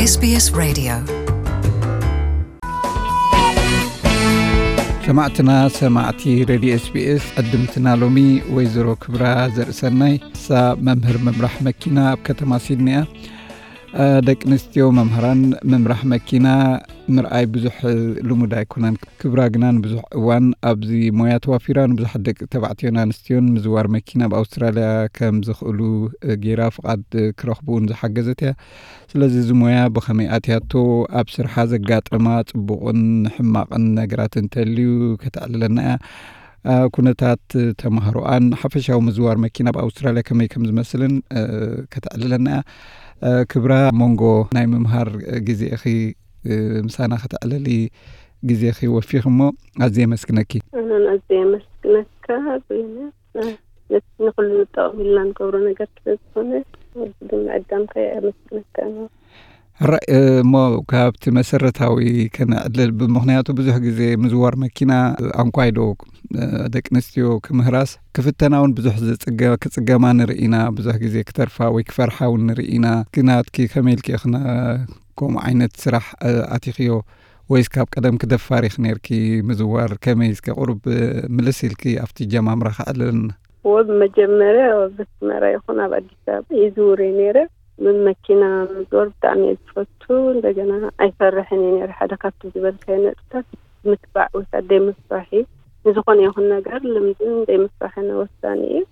SBS Radio. ሰማዕትና ሰማዕቲ ሬድዮ ኤስቢኤስ፣ ዕድምትና ሎሚ ወይዘሮ ክብራ ዘርእሰናይ፣ ንሳ መምህር ምምራሕ መኪና ኣብ ከተማ ሲድኒ እያ። ደቂ ኣንስትዮ መምህራን ምምራሕ መኪና ምርኣይ ብዙሕ ልሙድ ኣይኮነን። ክብራ ግና ንብዙሕ እዋን ኣብዚ ሞያ ተዋፊራ፣ ንብዙሓት ደቂ ተባዕትዮን ኣንስትዮን ምዝዋር መኪና ኣብ ኣውስትራልያ ከም ዝኽእሉ ገይራ ፍቓድ ክረኽቡ እውን ዝሓገዘት እያ። ስለዚ እዚ ሞያ ብኸመይ ኣትያቶ፣ ኣብ ስርሓ ዘጋጠማ ጽቡቕን ሕማቕን ነገራት እንተልዩ ከተዕልለና እያ። ኩነታት ተማሃሮኣን ሓፈሻዊ ምዝዋር መኪና ኣብ ኣውስትራልያ ከመይ ከም ዝመስልን ከተዕልለና እያ። ክብራ፣ መንጎ ናይ ምምሃር ግዜኺ ምሳና ከተዕልሊ ግዜኺ ወፊኺ እሞ ኣዝየ የመስግነኪ። ኣነን ኣዝየ የመስግነካ ዜና። ነቲ ንኹሉ ንጠቐም ኢልና ንገብሮ ነገር ስለ ዝኾነ፣ ግን ምዕዳምካ የመስግነካ። ሕራይ እሞ ካብቲ መሰረታዊ ከነዕልል፣ ብምኽንያቱ ብዙሕ ግዜ ምዝዋር መኪና ኣንኳይዶ ደቂ ኣንስትዮ ክምህራስ ክፍተና እውን ብዙሕ ዝጽገ- ክጽገማ ንርኢ ኢና። ብዙሕ ግዜ ክተርፋ ወይ ክፈርሓ እውን ንርኢ ኢና። ግናትኪ ከመይ ኢልኪ ኢኽና ከምኡ ዓይነት ስራሕ ኣቲኽዮ? ወይስ ካብ ቀደም ክደፋር ኢኺ ነርኪ? ምዝዋር ከመይ? እስከ ቁሩብ ምልስ ኢልኪ ኣብቲ ጀማምራ ከዕልልና። ወብ መጀመርያ ኣብ ኣስመራ ይኹን ኣብ ኣዲስ ኣበባ ይዝውር እየ ነይረ። ምን መኪና ምዝወር ብጣዕሚ እየ ዝፈቱ። እንደገና ኣይፈርሕን እየ ነይረ። ሓደ ካብቲ ዝበልካዮ ነጥብታት ምትባዕ ወይ ከዓ ደይ ምፍራሕ እዩ። ንዝኾነ ይኹን ነገር ልምድን ደይ ምፍራሕን ወሳኒ እዩ።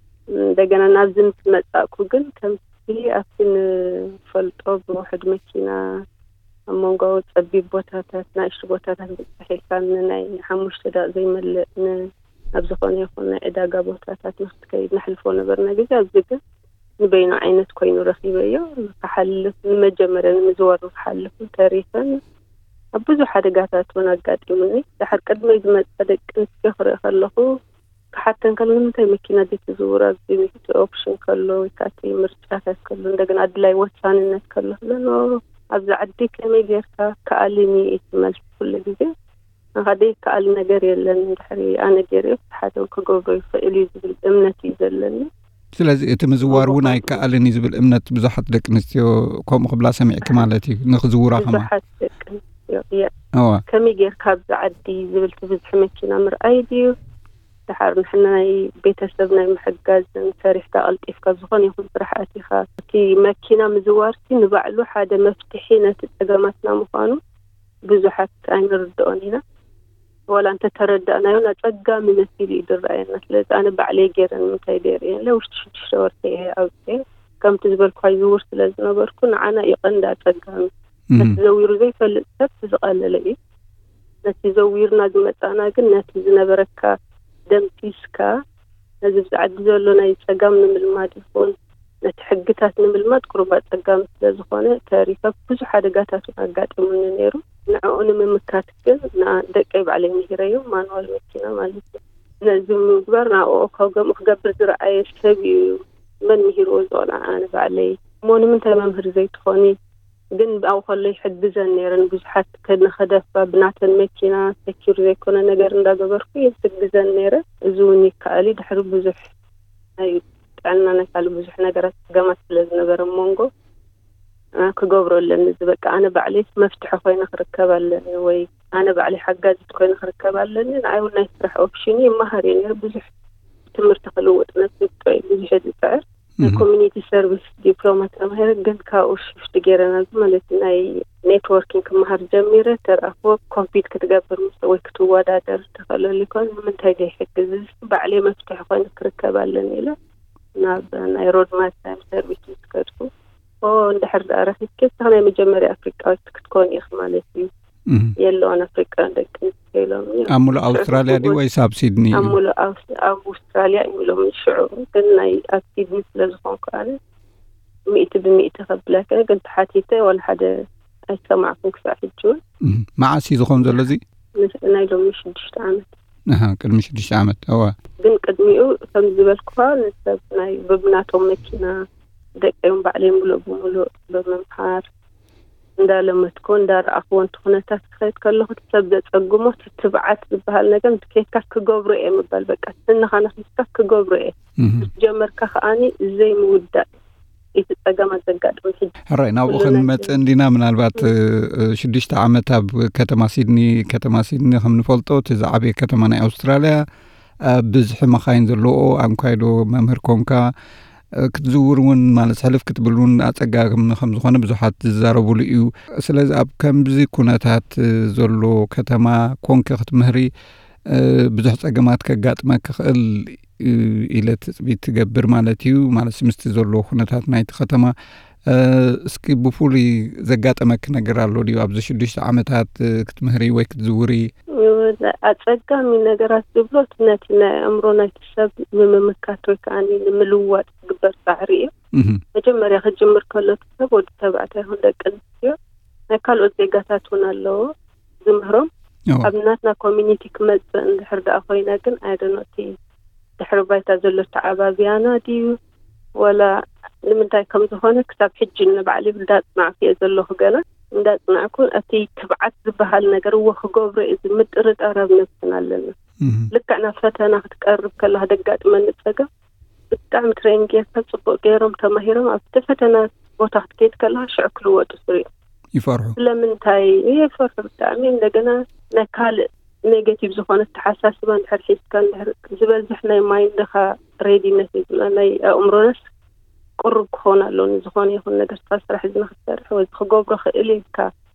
እንደገና ናብዚ ምስ መጻእኩ ግን ከምቲ ኣብቲ ንፈልጦ ብውሕድ መኪና ኣብ መንጎ ጸቢብ ቦታታት፣ ናእሽቱ ቦታታት ብዝሕ ኢልካ ንናይ ሓሙሽተ ደቂቕ ዘይመልእ ን-፣ ኣብ ዝኾነ ይኹን ናይ ዕዳጋ ቦታታት ንክትከይድ ንሕልፎ ነበርና ግዜ። ኣብዚ ግን ንበይኑ ዓይነት ኮይኑ ረኺበዮ። ንክሓልፍ፣ ንመጀመርያ ንምዝዋር ንክሓልፍ ተሪፈን ኣብ ብዙሕ ሓደጋታት እውን ኣጋጢሙኒ። ድሓር ቅድመይ ዝመጻ ደቂ ኣንስትዮ ክርኢ ከለኹ ክሓተን ከሎ፣ "ንምንታይ መኪና ዘይትዝውራ? ኣብዚ እቲ ኦፕሽን ከሎ ወይ ከዓ እቲ ምርጫታት ከሎ፣ እንደገና ኣድላይ ወሳንነት ከሎ" ክብለኒ፣ "ኦ፣ ኣብዚ ዓዲ ከመይ ጌርካ ከኣልኒ?" እዩ እቲ መልሲ ኩሉ ግዜ። "ንኻ ዘይከኣል ነገር የለን፣ እንድሕሪ ኣነ ገይረዮ፣ ሓደ ክገብሮ ይኽእል እዩ" ዝብል እምነት እዩ ዘለኒ። ስለዚ እቲ ምዝዋር እውን ኣይከኣልን እዩ ዝብል እምነት ብዙሓት ደቂ ኣንስትዮ ከምኡ ክብላ ሰሚዕኪ ማለት እዩ፣ ንኽዝውራ ከማን። ብዙሓት ደቂ ኣንስትዮ፣ እየ። እዋ። ከመይ ጌርካ ኣብዚ ዓዲ ዝብል፣ እቲ ብዝሒ መኪና ምርኣይ ድዩ? ድሓር ንሕና ናይ ቤተሰብ ናይ ምሕጋዝን ሰሪሕካ ቀልጢፍካ ኣብ ዝኾነ ይኹን ስራሕ ኣቲኻ፣ እቲ መኪና ምዝዋርሲ ንባዕሉ ሓደ መፍትሒ ነቲ ጸገማትና ምዃኑ ብዙሓት ኣይንርድኦን ኢና። ዋላ እንተተረዳእናዮ፣ ኣጸጋሚ መሲሉ እዩ ዝረኣየና። ስለዚ ኣነ ባዕለይ ገይረ ንምንታይ ደይርእየለ ውሽጢ ሽዱሽተ ወርሒ እየ ኣውፅኤ። ከምቲ ዝበልኳ ይዝውር ስለ ዝነበርኩ፣ ንዓና እዩ ቀንዲ ኣጸጋሚ። እም። ነቲ ዘዊሩ ዘይፈልጥ ሰብ ዝቐለለ እዩ። ነቲ ዘዊርና ዝመጻና ግን፣ ነቲ ዝነበረካ ደምሲስካ፣ ነዚ ብዛዕዲ ዘሎ ናይ ጸጋም ንምልማድ ይኹን፣ ነቲ ሕግታት ንምልማድ ቁሩብ ኣጸጋሚ ስለ ዝኾነ፣ ተሪፈ ብዙሕ ሓደጋታት እውን ኣጋጢሙኒ ነይሩ። ንዕኡ ንምምካት ግን፣ ንኣ-፣ ደቀይ ባዕለይ ምሂረዮም፣ ማንዋል መኪና ማለት እዩ። ነዚ ምግባር፣ ንኣኡ ካብ ከምኡ ክገብር ዝረኣየ ሰብ እዩ። መን ምሂርዎ ዝቖልዓ? ኣነ ባዕለይ። እሞ ንምንታይ መምህር ዘይትኾኒ? ግን ኣብኡ ከሎ ይሕግዘን ነይረን። ብዙሓት ከ-፣ ንኸደፋ ብናተን መኪና ሰኪር ዘይኮነ ነገር እንዳገበርኩ ይሕግዘን ነይረ። እዚ እውን ይከኣል እዩ። ድሕሪ ብዙሕ ናይ ጥዕና ናይ ካልእ ብዙሕ ነገራት ጸገማት ስለ ዝነበረ መንጎ፣ እ፣ ክገብሮ ኣለኒ። እዚ በቃ ኣነ ባዕለይ መፍትሒ ኮይነ ክርከብ ኣለኒ፣ ወይ ኣነ ባዕለይ ሓጋዚት ኮይነ ክርከብ ኣለኒ። ንዓይ እውን ናይ ስራሕ ኦፕሽን ይመሃር እየ ነይረ። ብዙሕ ትምህርቲ ክልውጥ ነብሲ ውጥኦ እየ ብዙሕ እየ ዝጽዕር። ናይ እህ። ኮሚኒቲ ሰርቪስ ዲፕሎማ ተማሂረ፣ ግን ካብኡ ሽፍት ገይረ ናብዚ ማለት ናይ ኔትወርኪንግ ክመሃር ጀሚረ። ተረኣኽቦ ኮምፒት ክትገብር ምስ ወይ ክትወዳደር ትኽእለሉ ይኮን፣ ንምንታይ ዘይሕግዝ? እዚ ባዕለይ መፍትሒ ኮይኑ ክርከብ ኣለኒ ኢለ ናብ ናይ ሮድማት ታይም ሰርቪስ ምስ ከድኩ፣ ኦ፣ እንድሕር ደኣ ረኺብኪ፣ እስኻ ናይ መጀመርያ ኣፍሪቃዊት ክትኮኒ ኢኺ ማለት እዩ። እህ። የለዋን ኣፍሪቃውያን ደቂ ኣንስትዮ ኢሎምኒ። ኣብ ሙሉእ ኣውስትራልያ ድዩ ወይስ ኣብ ሲድኒ ኣብ እዩ? ሙሉእ ኣውስ-፣ ኣብ ኣውስትራልያ እዮም ኢሎምኒ ሽዑ። ግን ናይ ኣብ ሲድኒ ስለ ዝኾንኩ ኣነ፣ ሚእቲ ብሚእቲ ከብለከ፣ ግን ተሓቲተ ዋላ ሓደ ኣይሰማዕኩን ክሳዕ ሕጂ እውን። እህ። መዓስ እዩ ዝኾን ዘሎ እዚ? ምስ-፣ ናይ ሎሚ ሽዱሽተ ዓመት። ኣሃ፣ ቅድሚ ሽዱሽተ ዓመት። እዋ። ግን ቅድሚኡ ከም ዝበልኩኻ፣ ንሰብ ናይ በብናቶም መኪና ደቀዮም ባዕለዮም ሙሉእ ብሙሉእ ብምምሃር፣ እንዳለመድኩ፣ እንዳረኣኽዎ፣ ነቲ ኩነታት ክኸይድ ከለኹ፣ እቲ ሰብ ዘጸግሞ፣ እቲ ትብዓት ዝበሃል ነገር፣ ምስ ከይድካ ክገብሮ እየ ምባል፣ በቃ፣ ስንኻ ነኺስካ ክገብሮ እየ። እህ። ምስ ጀመርካ ከኣኒ ዘይምውዳእ። እቲ ጸገማት ዘጋጥም ሕጂ። ሕራይ፣ ናብኡ ክንመጽእ እንዲና። ምናልባት ሽዱሽተ ዓመት ኣብ ከተማ ሲድኒ፣ ከተማ ሲድኒ ከም ንፈልጦ እቲ ዝዓበየ ከተማ ናይ ኣውስትራልያ፣ ብዝሒ መኻይን ዘለዎ። ኣንኳይዶ መምህር ኮንካ ክትዝውር እውን፣ ማለት ሕልፍ ክትብል እውን ኣጸጋሚ ከም ዝኾነ ብዙሓት ዝዛረቡሉ እዩ። ስለዚ ኣብ ከምዚ ኩነታት ዘሎ ከተማ ኮንኪ ክትምህሪ ብዙሕ ጸገማት ከጋጥመ ክኽእል ኢለ ትጽቢት ትገብር ማለት እዩ። ማለት ምስቲ ዘሎ ኩነታት ናይቲ ከተማ፣ እስኪ ብፍሉይ ዘጋጠመኪ ነገር ኣሎ ድዩ ኣብዚ ሽዱሽተ ዓመታት ክትምህሪ ወይ ክትዝውሪ? ኣጸጋሚ ነገራት ዝብሎ እቲ ነቲ ናይ ኣእምሮ ናይቲ ሰብ ንምምካት ወይ ከዓ ንምልዋጥ ዝግበር ጻዕሪ እዩ። መጀመርያ ክጅምር ከሎ እቲ ሰብ፣ ወዲ ተባዕታይ ይኹን ደቂ ኣንስትዮ፣ ናይ ካልኦት ዜጋታት እውን ኣለዎ ዝምህሮም። ኣብ ናትና ኮሚኒቲ ክመጽእ እንድሕር ደኣ ኮይና ግን፣ ኣይደኖ እቲ ድሕሪ ባይታ ዘሎ ተዓባብያና ድዩ፣ ወላ ንምንታይ ከም ዝኾነ ክሳብ ሕጂ ንባዕሊ እንዳጽናዕኩ እየ ዘለኹ። ገና እንዳጽናዕኩ፣ እቲ ትብዓት ዝበሃል ነገር እወ ክገብሮ እየ ዝብል ምጥርጣር ኣብ ነብስና ኣለና። ልክዕ ናብ ፈተና ክትቀርብ ከላ ደጋጥመኒ ጸገም፣ ብጣዕሚ ትሬን ጌርካ ጽቡቅ ገይሮም ተማሂሮም ኣብቲ ፈተና ቦታ ክትከይድ ከለኻ ሽዑ ክልወጡ ስሪኦም ይፈርሑ። ስለምንታይ ይፈርሑ? ብጣዕሚ እንደገና ናይ ካልእ ኔጌቲቭ ዝኾነ ኣተሓሳስባ እንድሕር ሒዝካ፣ እንድሕር ዝበዝሕ ናይ ማይንድኻ ሬዲነት እዩ ዝብላ፣ ናይ ኣእምሮናስ ቅሩብ ክኾን ኣለዎ። ንዝኾነ ይኹን ነገር ስራሕ እዚ ንክትሰርሕ ወይ ክገብሮ ክእል ኢልካ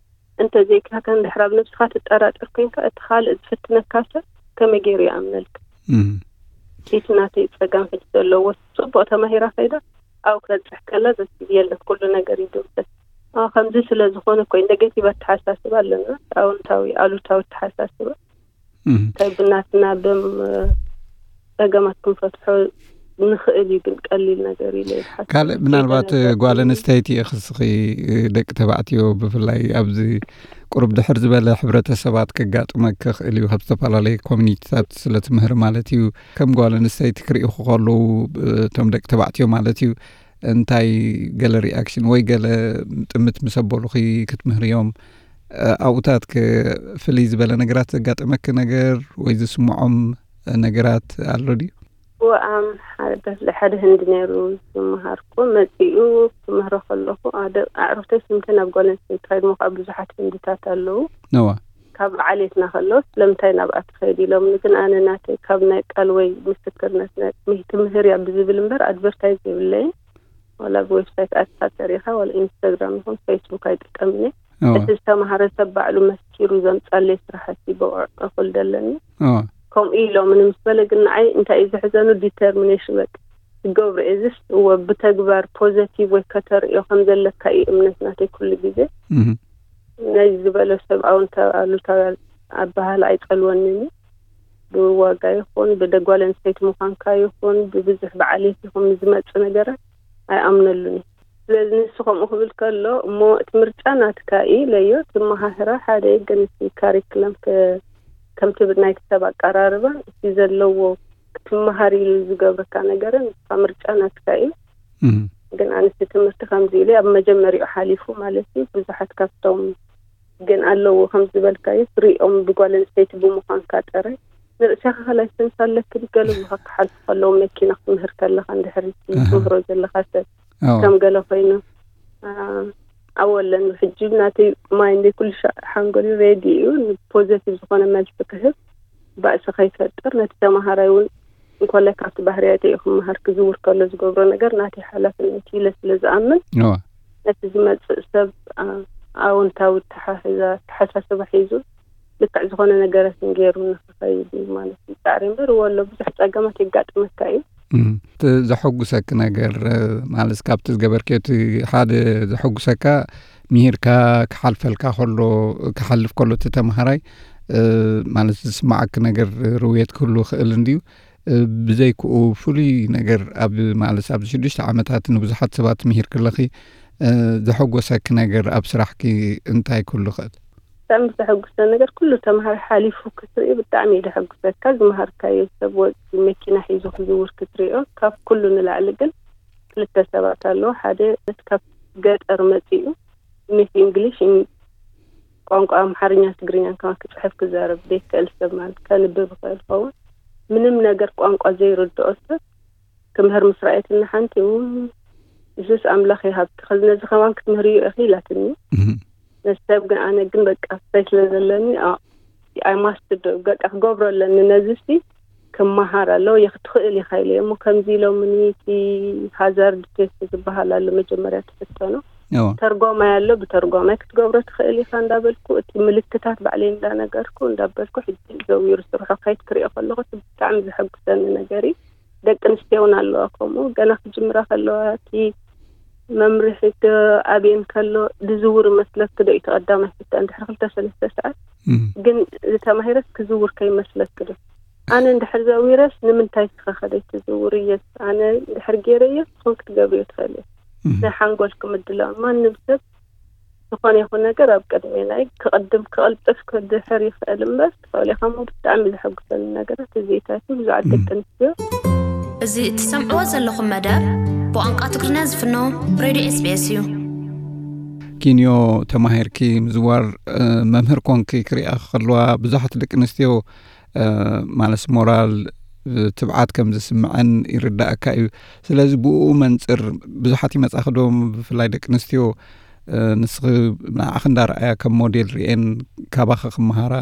እንተዘይካካ፣ እንድሕር ኣብ ነብስኻ ትጠራጠር ኮይንካ፣ እቲ ካልእ ዝፍትነካ ሰብ ከመይ ገይሩ ይኣምነልካ? እቲ ናተይ ጸገም ሕጂ ዘለዎ፣ ጽቡቕ ተማሂራ ከይዳ ኣብኡ ክበጽሕ ከላ ዘስብ የለን፣ ኩሉ ነገር ይድምሰስ። ከምዚ ስለ ዝኾነ እኮ ኔጌቲቭ ኣተሓሳስባ ኣለና፣ ኣወንታዊ ኣሉታዊ ኣተሓሳስባ። እንታይ ብናትና ብም ጸገማት ክንፈትሖ ንኽእል እዩ፣ ግን ቀሊል ነገር ኢለ ይሓስብ። ካልእ ምናልባት ጓል ኣንስተይቲ ኢኺ፣ እስኺ ደቂ ተባዕትዮ ብፍላይ ኣብዚ ቁሩብ ድሕር ዝበለ ሕብረተሰባት ከጋጥመ ክኽእል እዩ፣ ካብ ዝተፈላለየ ኮሚኒቲታት ስለ ትምህር ማለት እዩ። ከም ጓል ኣንስተይቲ ክርእኹ ከለዉ፣ እቶም ደቂ ተባዕትዮ ማለት እዩ፣ እንታይ ገለ ሪኣክሽን ወይ ገለ ጥምት ምስ ኣበሉኺ ክትምህርዮም፣ ኣብኡታት ከ ፍልይ ዝበለ ነገራት ዘጋጠመኪ ነገር ወይ ዝስምዖም ነገራት ኣሎ ድዩ? ወኣም ሓደ በፍላይ ሓደ ህንዲ ነይሩ ዝመሃርኩ፣ መጺኡ ክምህሮ ከለኹ፣ ኣደ-፣ ኣዕሩኽተይ ስምተን ኣብ ጓል ኣንስተይቲ ትኸይድ፣ ምዃ ብዙሓት ህንድታት ኣለዉ። ነዋ። ካብ ዓሌትና ከለዉ ስለምንታይ ናብኣ ትኸይድ ኢሎምኒ፣ ግን ኣነ ናተይ ካብ ናይ ቃል ወይ ምስክርነት ናይ ትምህርያ ብዝብል እምበር ኣድቨርታይዝ የብለይን። ዋላ ብዌብሳይት ኣትካ ተሪኻ፣ ዋላ ኢንስታግራም ይኹን ፌስቡክ ኣይጥቀምን እየ። እዋ። እቲ ዝተማሃረ ሰብ ባዕሉ መስኪሩ ዘምጻለይ ስራሕቲ ብቑዕ እኹል ደለኒ። እዋ። ከምኡ ኢሎምኒ ምስ በለ ግን ንዓይ እንታይ እዩ ዘሕዘኑ፣ ዲተርሚኔሽን፣ በቃ ክገብሮ እየ፣ እዚስ እወ ብተግባር ፖዘቲቭ ወይ ከተርእዮ ከም ዘለካ እዩ እምነት ናተይ ኩሉ ግዜ። እህ። ነዚ ዝበለ ሰብ ኣውንታ-፣ ኣሉታዊ ኣበሃህላ ኣይጸልወንን እዩ። ብዋጋ ይኹን ብደጓል ኣንስተይቲ ምዃንካ ይኹን ብብዙሕ ብዓሌት ይኹን ዝመጽእ ነገራት ኣይኣምነሉን እዩ። ስለዚ ንሱ ከምኡ ክብል ከሎ፣ እሞ እቲ ምርጫ ናትካ እዩ ኢለዮ። እቲ መሃህራ ሓደ እዩ፣ ግን እቲ ካሪክለም ከ-፣ ከምቲ ብ-፣ ናይቲ ሰብ ኣቀራርባ፣ እቲ ዘለዎ ክትመሃር ኢሉ ዝገብረካ ነገርን፣ ንስኻ ምርጫ ናትካ እዩ። እም። ግን ኣንስቲ ትምህርቲ ከምዚ ኢሉ ኣብ መጀመሪያኡ ሓሊፉ ማለት እዩ። ብዙሓት ካብቶም ግን ኣለዉ፣ ከም ዝበልካዮ፣ ትሪኦም ብጓል ኣንስተይቲ ብምዃንካ ጥራይ፣ ንርእስኻ ላይሰንስ ኣለኪ፣ ገለ ብኻ ክሓልፉ ከለዉ፣ መኪና ክትምህር ከለኻ፣ እንድሕር እቲ ኣሃ። ትምህሮ ዘለኻ ሰብ ኣዎ። ከም ገለ ኮይኑ፣ ኣ-፣ ኣወለን፣ ሕጂ ናተይ ማይንደይ ኩሉ ሻ-፣ ሓንጎለይ ሬዲ እዩ፣ ንፖዘቲቭ ዝኾነ መልሲ ክህብ፣ ባእሲ ከይፈጥር፣ ነቲ ተማሃራይ እውን እንኮላይ ካብቲ ባህርያተይ እዩ ክመሃር፣ ክዝውር ከሎ ዝገብሮ ነገር ናተይ ሓላፍነት ኢለ ስለ ዝኣምን፣ እዋ። ነቲ ዝመጽእ ሰብ፣ ኣ-፣ ኣወንታዊ ኣተሓሕዛ-፣ ኣተሓሳስባ ሒዙ ልክዕ ዝኾነ ነገራት ገይሩ ንኽኸይድ እዩ ማለት እዩ ጻዕሪ እምበር፣ ወሎ ብዙሕ ጸገማት የጋጥመካ እዩ። እም፣ እቲ ዘሐጉሰኪ ነገር፣ እ፣ ማለት ካብቲ ዝገበርክዮ እቲ ሓደ ዘሐጉሰካ፣ ምሂርካ ክሓልፈልካ ከሎ፣ ክሓልፍ ከሎ እቲ ተምሃራይ፣ እ፣ ማለት ዝስማዓኪ ነገር ርውየት ክህሉ ይኽእል እንድዩ። እ፣ ብዘይክኡ ፍሉይ ነገር ኣብ፣ ማለት ኣብዚ ሽዱሽተ ዓመታት ንብዙሓት ሰባት ምሂርኪ ኣለኺ፣ እ፣ ዘሐጎሰኪ ነገር ኣብ ስራሕኪ እንታይ ክህሉ ይኽእል? ብጣዕሚ ዘሐጉሰ ነገር፣ ኩሉ ተምሃራይ ሓሊፉ ክትርኢ ብጣዕሚ እዩ ዘሐጉሰካ። ዝመሃርካዮ ሰብ ወ-፣ መኪና ሒዙ ክዝውር ክትሪኦ፣ ካብ ኩሉ ንላዕሊ ግን ክልተ ሰባት ኣለዉ። ሓደ ካብ ገጠር መጺኡ ምስ እንግሊሽ፣ እን-፣ ቋንቋ ኣምሓርኛ፣ ትግርኛን ከማን ክጽሕፍ ክዛረብ ዘይክእል ሰብ ማለት ከንብብ ይኽእል ይኸውን። ምንም ነገር ቋንቋ ዘይርድኦ ሰብ ክምህር ምስ ረኣየትኒ ሓንቲ፣ እው፣ እዝስ ኣምላኽ ይሃብኪ፣ ከዚ ነዚ ከማን ክትምህርዮ ኢኺ ኢላትኒ። ነዚ ሰብ ግን፣ ኣነ ግን በቃ ፍረይ ስለ ዘለኒ፣ I must do፣ በቃ ክገብሮ ኣለኒ። ነዚ ሲ ክመሃር ኣለዎ፣ ክትኽእል ኢኻ ኢለ እሞ፣ ከምዚ ኢሎምኒ፣ እቲ ሃዛርድ ቴስት ዝበሃል ኣሎ፣ መጀመርያ ትፍተኖ። ተርጓማይ ኣሎ፣ ብተርጓማይ ክትገብሮ ትኽእል ኢኻ እንዳበልኩ፣ እቲ ምልክታት ባዕለይ እንዳነገርኩ እንዳበልኩ፣ ሕጂ ዘዊሩ ስርሑ ከይድ ክሪኦ ከለኹ፣ እቲ ብጣዕሚ ዘሐጉሰኒ ነገር እዩ። ደቂ ኣንስትዮ እውን ኣለዋ ከምኡ፣ ገና ክጅምራ ከለዋ፣ እቲ መምርሒ ዶ ኣብየን ከሎ፣ ዝዝውር መስለኪ ዶ እዩ እቲ ቀዳማይ ፍታን? ድሕሪ ክልተ ሰለስተ ሰዓት ግን ዝተማሂረስ ክዝውር ከይመስለኪ ዶ? ኣነ እንድሕር ዘዊረስ ንምንታይ ትኸኸደ ትዝውር እየስ? ኣነ እንድሕር ገይረዮ ትኾን ክትገብርዮ ትኽእል እየ። ናይ ሓንጎልኪ ምድላው፣ ማንም ሰብ ዝኾነ ይኹን ነገር ኣብ ቅድሚ ናይ ክቕድም ክቕልጥፍ ክድሕር ይኽእል እምበር፣ ትኽእል ኢኻ እሞ ብጣዕሚ ዘሐጉሰኒ ነገራት እዚኢታት እዩ። ብዙሓት ደቂ ኣንስትዮ እዚ እትሰምዕዎ ዘለኹም መደብ ብቋንቋ ትግርኛ ዝፍኖ ሬድዮ ኤስቢኤስ እዩ። ኪንዮ ተማሂርኪ ምዝዋር፣ እ፣ መምህር ኮንኪ ክሪኣ ከለዋ ብዙሓት ደቂ ኣንስትዮ፣ እ፣ ማለት ሞራል፣ እ፣ ትብዓት ከም ዝስምዐን ይርዳእካ እዩ። ስለዚ ብኡ መንጽር ብዙሓት ይመጻኺ ዶ፣ ብፍላይ ደቂ ኣንስትዮ፣ እ፣ ንስኺ ንዓኺ እንዳረኣያ ከም ሞዴል ርእየን ካባኺ ክመሃራ፣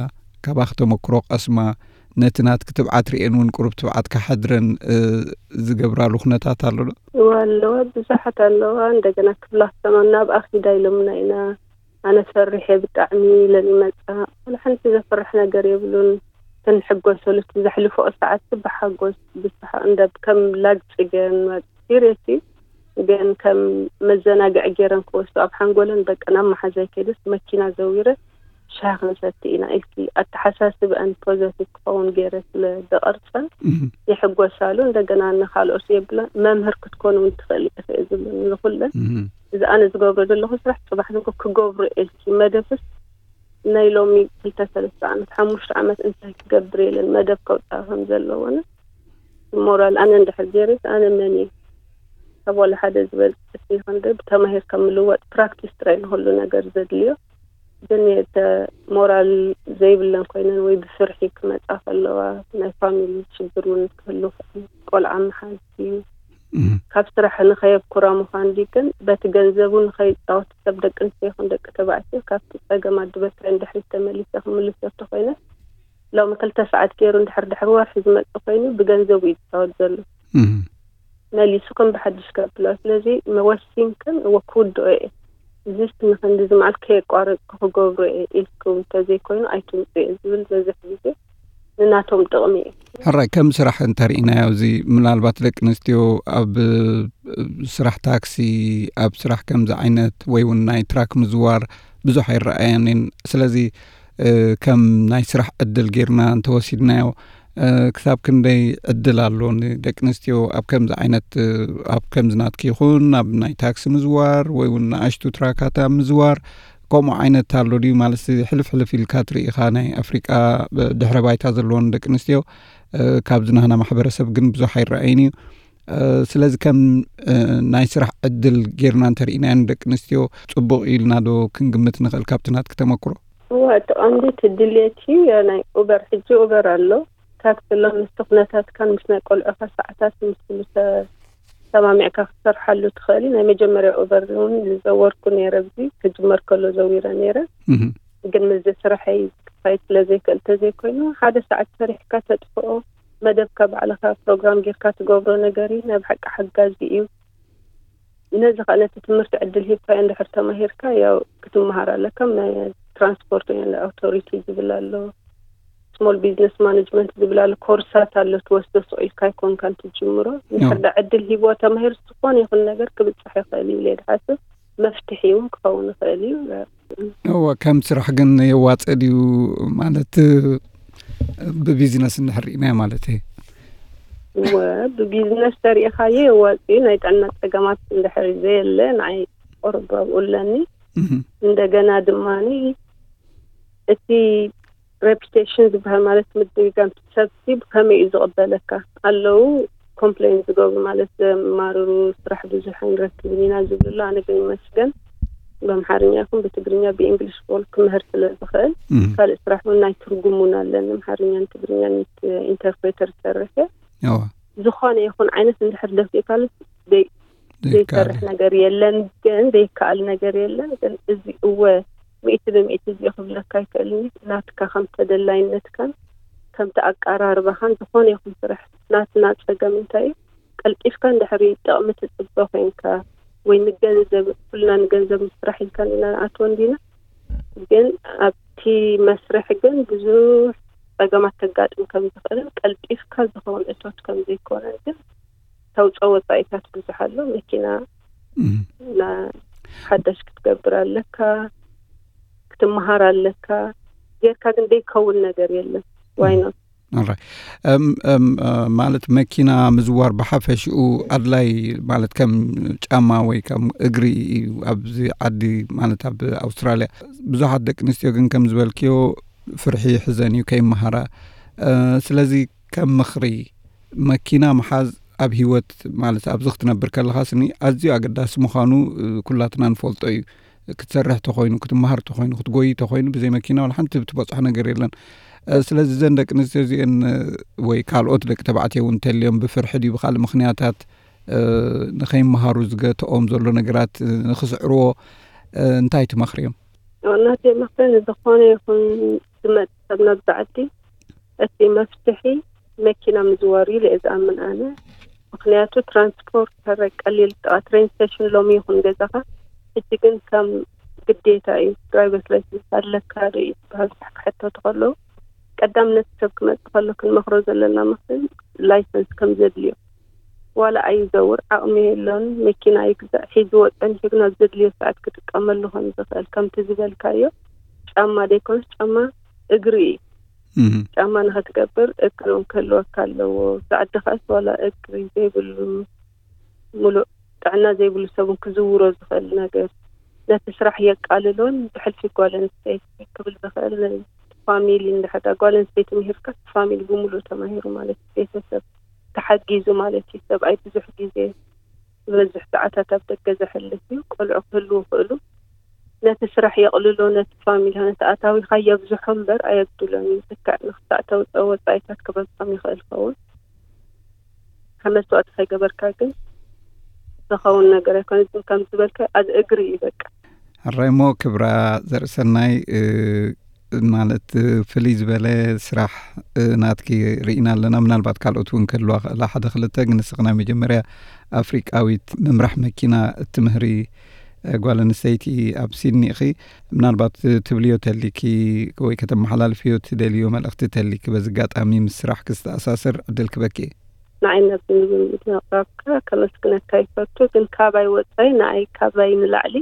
ካባኺ ተመክሮ ቀስማ፣ ነቲ ናትኪ ትብዓት ርእየን እውን ቁሩብ ትብዓት ክሓድረን፣ እ፣ ዝገብራሉ ኩነታት ኣሎ ዶ? እወ ኣለዋ፣ ብዙሓት ኣለዋ። እንደገና ክብላ ክሰማ ናብ ኣኺዳ ኢሎምና ኢና። ኣነ ፈሪሐ ብጣዕሚ ኢለን ይመጻ። ወላ ሓንቲ ዘፍርሕ ነገር የብሉን። እተን ሕጎሰሉ እቲ ዘሕልፈኦ ሰዓት ብሓጎስ ብስሓቕ እንደ ከም ላግ ጽገን ሲሪየስሊ ግን ከም መዘናግዒ ገይረን ክወስዱ ኣብ ሓንጎለን በቃ ናብ መሓዛይ ከይደስ መኪና ዘዊረ ሻሂ ክንሰቲ ኢና ኢልኪ ኣተሓሳስበአን ፖዘቲቭ ክኸውን ገይረ ስለ ዝቐርጸን እህ፣ ይሕጎሳሉ። እንደገና ንኻልኦት የብላ መምህር ክትኮን እውን ትኽእል ኢኺ ዝብሉኒ ንኹለን። እህ፣ እዚ ኣነ ዝገብሮ ዘለኹ ስራሕ ጽባሕ ንግሆ ክገብሮ ኢልኪ መደብስ ናይ ሎሚ ክልተ ሰለስተ ዓመት፣ ሓሙሽተ ዓመት እንታይ ክገብር ኢለን መደብ ከውፅኣ ከም ዘለዎን ሞራል ኣነ እንድሕር ገይረስ ኣነ መን እየ? ካብ ዋላ ሓደ ዝበልፅ ይኹን ዶ ብተማሂርካ ምልዋጥ ፕራክቲስ ጥራይ ንኹሉ ነገር ዘድልዮ። ግን የተ ሞራል ዘይብለን ኮይነን ወይ ብፍርሒ ክመፃ ከለዋ ናይ ፋሚሊ ሽግር እውን ክህሉ ይኽእል። ቆልዓ ምሓዝ እዩ። እም። ካብ ስራሕ ንኸየብኩራ ምዃን ድዩ ግን በቲ ገንዘቡ ንኸይፃወት ሰብ ደቂ ኣንስትዮ ይኹን ደቂ ተባዕትዮ ካብቲ ፀገም ኣዲ በትሪ እንድሕር ተመሊሰ ክምልሶ እንተኾይነ ሎሚ ክልተ ሰዓት ገይሩ እንድሕር ድሕሪ ወርሒ ዝመፅእ ኮይኑ ብገንዘቡ እዩ ዝፃወት ዘሎ። እም። መሊሱ ከም ብሓድሽ ከብሎ። ስለዚ መወሲንክን እወ ክውድኦ እየ። እዚስ ንክንድዚ መዓልቲ ከየቋረፅኩ ክገብሮ እየ ኢልኩም እንተዘይኮይኑ ኣይትምፁ እየ ዝብል በዝሕ ግዜ ንናቶም ጥቕሚ እዩ። ሕራይ ከም ስራሕ እንተርኢናዮ፣ እዚ ምናልባት ደቂ ኣንስትዮ ኣብ ስራሕ ታክሲ፣ ኣብ ስራሕ ከምዚ ዓይነት ወይ እውን ናይ ትራክ ምዝዋር ብዙሕ ኣይረኣያን እየን። ስለዚ፣ እ፣ ከም ናይ ስራሕ ዕድል ጌርና እንተወሲድናዮ፣ እ፣ ክሳብ ክንደይ ዕድል ኣሎ ንደቂ ኣንስትዮ ኣብ ከምዚ ዓይነት፣ እ፣ ኣብ ከምዚ ናትኪ ይኹን ኣብ ናይ ታክሲ ምዝዋር ወይ እውን ንኣሽቱ ትራካት ኣብ ምዝዋር? ከምኡ ዓይነት ኣሎ ድዩ? ማለት ሕልፍ ሕልፍ ኢልካ ትርኢ ኢኻ፣ ናይ ኣፍሪቃ ድሕረ ባይታ ዘለወን ደቂ ኣንስትዮ፣ እ፣ ካብዚ ናህና ማሕበረሰብ ግን ብዙሕ ኣይረኣይን እዩ። እ፣ ስለዚ ከም፣ እ፣ ናይ ስራሕ ዕድል ጌርና እንተርኢናዮ ንደቂ ኣንስትዮ ጽቡቕ ኢልና ዶ ክንግምት ንኽእል ካብቲ ናትኪ ተመክሮ? እዋ፣ እቲ ቀንዲ እቲ ድሌት እዩ። ናይ ኡበር፣ ሕጂ ኡበር ኣሎ። ታክሲ ኣሎ፣ ምስቲ ኩነታትካን ምስ ናይ ቆልዑኻ ሰዓታት ምስ ኩሉ ተ-፣ ተማሚዕካ ክትሰርሓሉ ትኽእል እዩ። ናይ መጀመርያ ኡበር እውን ዝዘወርኩ ነይረ፣ ኣብዚ ክጅመር ከሎ ዘዊረ ነይረ። እህ። ግን ምስዚ ስራሐይ ክፋይድ ስለ ዘይክእል ተዘይኮይኑ፣ ሓደ ሰዓት ሰሪሕካ ተጥፍኦ፣ መደብካ ባዕልኻ ፕሮግራም ጌርካ ትገብሮ ነገር እዩ። ናይ ብሓቂ ሓጋዚ እዩ። ነዚ ኸኣ ነቲ ትምህርቲ ዕድል ሂብካዮ እንድሕር ተማሂርካ፣ ያው ክትመሃር ኣለካ። ናይ ትራንስፖርት ወይ ናይ ኣውቶሪቲ ዝብል ኣሎ፣ ስሞል ቢዝነስ ማኔጅመንት ዝብል ኣሎ፣ ኮርሳት ኣሎ ትወስዶ፣ ስቕ ኢልካ ኣይኮንካን ትጅምሮ። እንድሕር ያው። ደኣ ዕድል ሂብዎ ተማሂሩ፣ ዝኾነ ይኹን ነገር ክብጻሕ ይኽእል እዩ ኢለ ድሓስብ፣ መፍትሒ እውን ክኸውን ይኽእል እዩ። እወ፣ ከም ስራሕ ግን የዋጽእ ድዩ ማለት፣ ብቢዝነስ እንድሕር ርኢናዮ ማለት እየ። እወ፣ ብቢዝነስ ተሪኢኻዮ የዋጽእ እዩ። ናይ ጥዕና ጸገማት እንድሕር ዘየለ ንዓይ ቁሩብ ኣብኡ ኣለኒ። እህ። እንደገና ድማኒ እቲ ሬፒቴሽን ዝበሃል ማለት ምድግጋም እቲ ሰብሲ ብኸመይ እዩ ዝቕበለካ? ኣለዉ ኮምፕሌን ዝገብሩ ማለት ዘማርሩ ስራሕ ብዙሕ ኣይንረክብን ኢና ዝብሉ ኣሎ። ኣነ ግን ይመስገን ብኣምሓርኛ ይኹን ብትግርኛ ብእንግሊሽ ቦል ክምህር ስለ ዝኽእል እም። ካልእ ስራሕ እውን ናይ ትርጉም እውን ኣለኒ። ኣምሓርኛን ትግርኛን ኢንት-፣ ኢንተርፕሬተር ዝሰርሕ እየ። እዋ። ዝኾነ ይኹን ዓይነት እንድሕር ደፊእካሉ ደይ-፣ ዘይሰርሕ ነገር የለን። ግን ዘይከኣል ነገር የለን። ግን እዚ እወ ሚእቲ ብሚእቲ እዚ ክብለካ ኣይክእልን። ናትካ ከም ተደላይነትካን ከምቲ ኣቀራርባኻን ዝኾነ ይኹን ስራሕ ናትና ጸገም እንታይ እዩ? ቀልጢፍካ እንድሕሪ ጥቕሚ ትጽበ ኮይንካ ወይ ንገንዘብ፣ ኩልና ንገንዘብ ምስራሕ ኢልካ እንዲና ንኣትዎ እንዲና። ግን ኣብቲ መስርሕ ግን ብዙሕ ጸገማት ተጋጥም ከም ዝኽእልን ቀልጢፍካ ዝኸውን እቶት ከም ዘይኮነን ግን ተውፀኦ ወፃኢታት ብዙሕ ኣሎ። መኪና ሓዳሽ ክትገብር ኣለካ፣ ክትመሃር ኣለካ። ጌርካ ግን ዘይከውን ነገር የለን። ዋይኖት ማለት መኪና ምዝዋር ብሓፈሽኡ ኣድላይ ማለት ከም ጫማ ወይ ከም እግሪ እዩ። ኣብዚ ዓዲ ማለት ኣብ ኣውስትራልያ ብዙሓት ደቂ ኣንስትዮ ግን ከም ዝበልክዮ ፍርሒ ይሕዘን እዩ ከይመሃራ። ስለዚ ከም ምኽሪ መኪና ምሓዝ ኣብ ህይወት ማለት ኣብዚ ክትነብር ከለኻስኒ ኣዝዩ ኣገዳሲ ምዃኑ ኩላትና ንፈልጦ እዩ። ክትሰርሕ ተኾይኑ፣ ክትመሃር ተኾይኑ፣ ክትጎይ ተኾይኑ ብዘይ መኪና ዋላ ሓንቲ ብትበፅሖ ነገር የለን። ስለዚ እዘን ደቂ ኣንስትዮ እዚአን ወይ ካልኦት ደቂ ተባዕትዮ እውን እንተልዮም ብፍርሒ ድዩ ብካልእ ምኽንያታት ንኸይመሃሩ ዝገትኦም ዘሎ ነገራት ንኽስዕርዎ እንታይ ትመኽርዮም? ናተይ መኽሪ ንዝኾነ ይኹን ዝመፅእ ሰብ ናብዚ ዓዲ እቲ መፍትሒ መኪና ምዝዋር እዩ ኢለ እየ ዝኣምን ኣነ። ምኽንያቱ ትራንስፖርት ሰረ ቀሊል ጥቓ ትሬን ስቴሽን ሎሚ ይኹን ገዛኻ። ሕጂ ግን ከም ግዴታ እዩ። ድራይቨርስ ላይሰንስ ኣለካ ዶ እዩ ዝበሃል ብዙሕ ክሕተቱ ከለዉ ቀዳምነት ሰብ ክመፅእ ከሎ ክንመኽሮ ዘለና ምኽሪ ላይሰንስ ከም ዘድልዮ። ዋላ ኣይዘውር ዓቕሚ የሎን መኪና ይግዛእ ሒዝዎ ፀኒሑ ግን ኣብ ዘድልዮ ሰዓት ክጥቀመሉ ከም ዝኽእል ከምቲ ዝበልካዮ ጫማ ዘይኮነስ ጫማ እግሪ እዩ። ጫማ ንኽትገብር እግሪ እውን ክህልወካ ኣለዎ። ብዓዲ ከኣስ ዋላ እግሪ ዘይብሉ ሙሉእ ጥዕና ዘይብሉ ሰብ እውን ክዝውሮ ዝኽእል ነገር ነቲ ስራሕ የቃልሎን ብሕልፊ ጓል ኣንስተይቲ ክብል ዝኽእል ፋሚሊ እንድሕር ጓል ኣንስተይቲ ምሂርካ ፋሚሊ ብሙሉእ ተማሂሩ ማለት እዩ። ቤተሰብ ተሓጊዙ ማለት እዩ። ሰብኣይ ብዙሕ ግዜ ዝበዝሕ ሰዓታት ኣብ ደገ ዘሕልፍ እዩ። ቆልዑ ክህልዉ ይኽእሉ። ነቲ ስራሕ የቕልሎ፣ ነቲ ፋሚሊ ነቲ ኣታዊኻ የብዝሖ እምበር ኣየጉድሎን እዩ። ልክዕ ንኽትኣተው ወፃኢታት ክበዝሖም ይኽእል ይኸውን። ካብ መስዋእቲ ከይገበርካ ግን ዝኸውን ነገር ኣይኮነ። ግን ከም ዝበልካ ኣብ እግሪ እዩ በቃ። ሕራይ እሞ ክብራ ዘርእሰናይ ማለት ፍልይ ዝበለ ስራሕ ናትኪ ርኢና ኣለና። ምናልባት ካልኦት እውን ክህልዋ ክእላ ሓደ ክልተ፣ ግን ንስኺ ናይ መጀመርያ ኣፍሪቃዊት ምምራሕ መኪና እትምህሪ ጓል ኣንስተይቲ ኣብ ሲድኒ ኢኺ። ምናልባት ትብልዮ ተሊኪ ወይ ከተመሓላልፍዮ ትደልዮ መልእኽቲ ተሊኪ በዚ ኣጋጣሚ ምስ ስራሕ ክስተኣሳስር ዕድል ክበኪ። ንዓይ ነዚ ምቕራብካ ከመስግነካ ይፈቱ። ግን ካባይ ወፃኢ ንዓይ ካባይ ንላዕሊ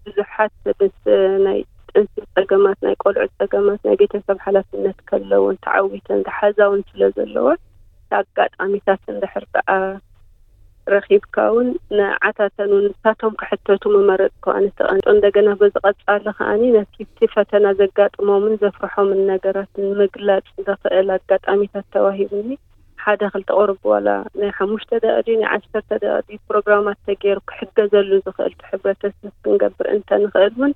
ብዙሓት ምስ ናይ ጥንሲ ፀገማት፣ ናይ ቆልዑ ፀገማት፣ ናይ ቤተሰብ ሓላፍነት ከለውን ተዓዊተን ዝሓዛውን ስለ ዘለዋ ኣጋጣሚታት እንድሕር ደኣ ረኺብካ እውን ንዓታተን እውን ንሳቶም ክሕተቱ ምመረፅኩ ኣነ ተቐንጦ። እንደገና በዚ ቀፃሊ ከዓኒ ነቲ እቲ ፈተና ዘጋጥሞምን ዘፍርሖምን ነገራት ንምግላፅ ዘኽእል ኣጋጣሚታት ተዋሂቡኒ። ሓደ ክልተ ቁሩብ ዋላ ናይ ሓሙሽተ ደቂቕ ድዩ ናይ ዓሰርተ ደቂቕ ድዩ ፕሮግራማት ተገይሩ ክሕገዘሉ ዝኽእል እቲ ሕብረተሰብ ክንገብር እንተንኽእል እውን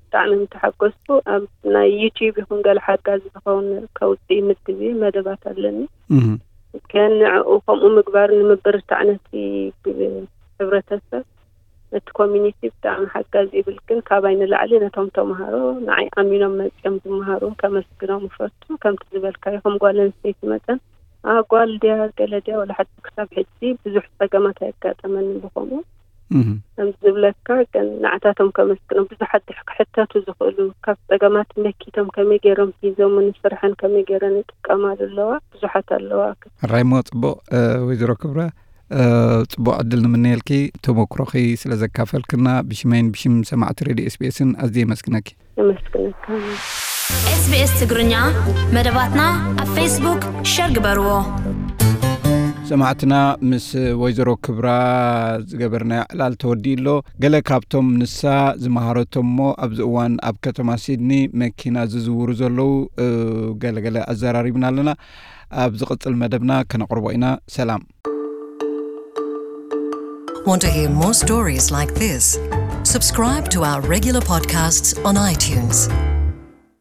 ብጣዕሚ ምተሓጎስኩ። ኣብ ናይ ዩቲዩብ ይኹን ገለ ሓጋዚ ዝኸውን ከውፅእ ይምድብ እየ፣ መደባት ኣለኒ። ግን ንዕኡ ከምኡ ምግባር ንምብርታዕ ነቲ ሕብረተሰብ ነቲ ኮሚኒቲ ብጣዕሚ ሓጋዚ ይብል። ግን ካባይ ንላዕሊ ነቶም ተምሃሮ ንዓይ ኣሚኖም መፅኦም ዝመሃሩ ከመስግኖም እፈቱ። ከምቲ ዝበልካዮ ከም ጓል ኣንስተይቲ መጠን ኣጓል ድያ ገለ ድያ ወላ ሓንቲ ክሳብ ሕጂ ብዙሕ ፀገማት ኣየጋጠመኒ ብኸምኡ። ከም ዝብለካ ግን ንዓታቶም ከመስግኖም ብዙሓት ድሕ ክሕተቱ ዝኽእሉ ካብ ፀገማት መኪቶም ከመይ ገይሮም ሒዞም ንስርሐን ከመይ ገይረን ይጥቀማሉ ኣለዋ ብዙሓት ኣለዋ። ሕራይ እሞ ፅቡቕ ወይዘሮ ክብራ ፅቡቕ ዕድል ንምነየልኪ ተመክሮኺ ስለ ዘካፈልክና ብሽመይን ብሽም ሰማዕቲ ሬድዮ ኤስቢኤስን ኣዝየ የመስግነኪ። የመስግነካ። ኤስቢኤስ ትግርኛ መደባትና ኣብ ፌስቡክ ሸር ግበርዎ። ሰማዕትና ምስ ወይዘሮ ክብራ ዝገበርናዮ ዕላል ተወዲኡ ኣሎ። ገለ ካብቶም ንሳ ዝመሃረቶም እሞ ኣብዚ እዋን ኣብ ከተማ ሲድኒ መኪና ዝዝውሩ ዘለዉ ገለገለ ኣዘራሪብና ኣለና። ኣብ ዝቕጽል መደብና ከነቕርቦ ኢና። ሰላም። Want to hear more stories like this? Subscribe to our regular podcasts on iTunes.